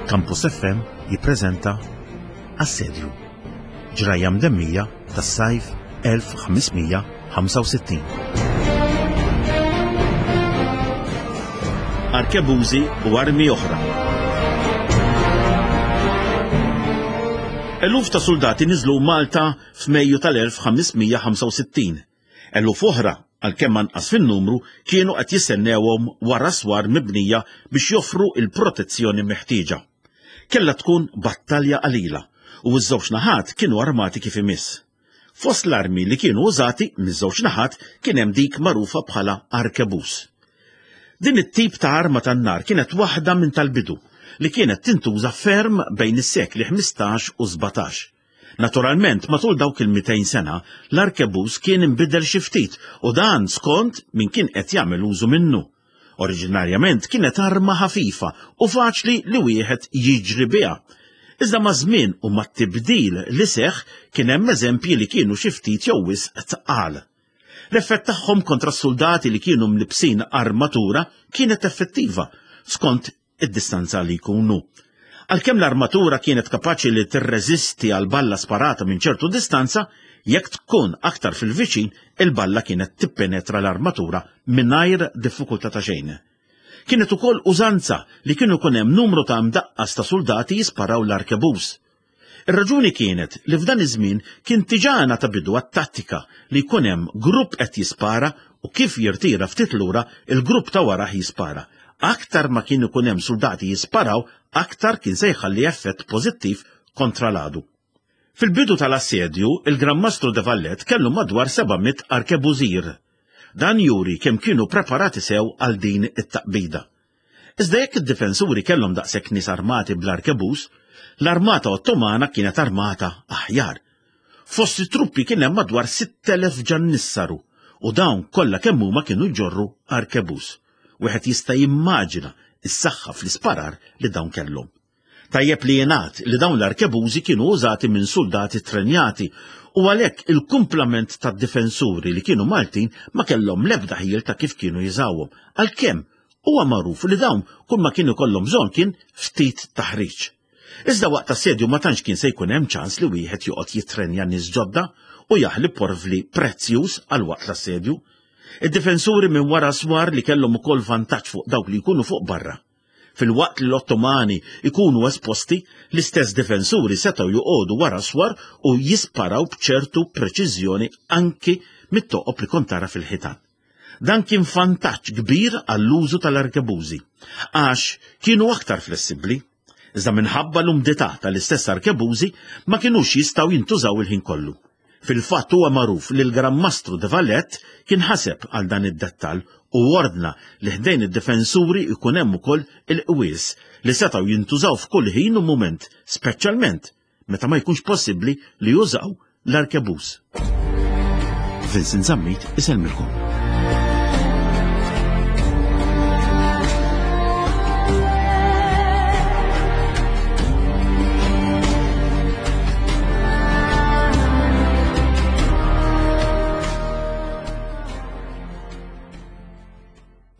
Campus FM jippreżenta Assedju. Ġrajja mdemmija tas-sajf 1565. Arkebużi u armi oħra. Eluf ta' suldati niżlu Malta f'Mejju tal-1565. Eluf oħra, għalkemm anqas fin-numru, kienu qed jistennewhom wara swar mibnija biex joffru l-protezzjoni meħtieġa. Kellha tkun battalja qalila u ż-żewġ naħat kienu armati kif imiss. Fost l-armi li kienu użati miż-żewġ naħat kien hemm dik magħrufa bħala arkebuż. Din it-tip ta' arma tan-nar kienet waħda minn tal-bidu li kienet tintuża ferm bejn is-sekli 15 u 17. Naturalment, matul dawk il-200 sena, l-arkebuż kien inbidel xi ftit u dan skont min kien qed jagħmel użu minnu. Oriġinarjament kienet arma ħafifa u faċli li wieħed jiġri biha. Iżda maż-żmien u mat-tibdil li seħħ kien hemm eżempji li kienu xi ftit jew wisq tqal. L-effett tagħhom kontra s-suldati li kienu mlibbsin armatura kienet effettiva, skont id-distanza li jkunu. Għalkemm l-armatura kienet kapaċi li tirreżisti għal balla sparata minn ċertu distanza, jekk tkun aktar fil-viċin, il-balla kienet tippenetra l-armatura mingħajr diffikultà ta' xejn. Kienet ukoll użanza li kienu jkun hemm numru ta' mdaqqas ta' suldati jisparaw l-arkebuż. Ir-raġuni kienet li f'dan iż-żmien kien diġà ngħata bidu għat-tattika li jkun hemm grupp qed jispara u kif jirtira ftit lura il-grupp ta' warah jispara. Aktar ma kien ikun hemm suldati jisparaw aktar kien se jħalli effett pożittiv kontra l-għadu. Fil-bidu tal-assedju, il-Gran Mastru de Valette kellu madwar 700 arkebużir. Dan juri kemm kienu preparati sew għal din it-taqbida. Iżda jekk id-difensuri kellhom daqshekk nies armati bl-arkebuż, l-armata Ottomana kienet armata aħjar. Fost it-truppi kien hemm madwar 6,000 ġannissaru u dawn kollha kemm huma kienu jġorru arkebuż. Wieħed jista' jimmaġina s-saħħa fl-isparar li dawn kellhom. Tajjeb li jingħad li dawn l-arkebużi kienu użati minn suldati ttrenjati u għalhekk il-kumplament tad-difensuri li kienu Maltin ma kellhom l-ebda ħjiel ta' kif kienu jużawhom, għalkemm huwa magħruf li dawn kull ma kien ikollhom bżonn kien ftit taħriġ. Iżda waqt assedju ma tantx kien se jkun hemm ċans li wieħed joqgħod jittrenja nies ġodda u jaħli porvli prezzjuż għal waqt l-assedju. Id-difensuri minn wara swar li kellhom ukoll vantaġġ fuq dawk li jkunu fuq barra. Filwaqt li l-Ottomani jkunu esposti, l-istess difensuri setgħu joqogħdu wara swar u jisparaw b'ċertu preċiżjoni anki mit-toqob li kont tara fil-ħitan. Dan kien vantaġġ kbir għall-użu tal-arkebużi, għax kienu aktar flessibbli. Iżda minħabba l-umdità tal-istess arkebużi ma kinux jistgħu jintużaw il-ħin kollu. Fil-fatt huwa magħruf li l-Gran Mastru de Valette kien ħaseb għal dan id-dettall u ordna li ħdejn id-difensuri jkun hemm ukoll il-qwies li setgħu jintużaw f'kull ħin u mument, speċjalment meta ma jkunx possibbli li jużaw l-arkebuż. Vincent Zammit isellmilkom.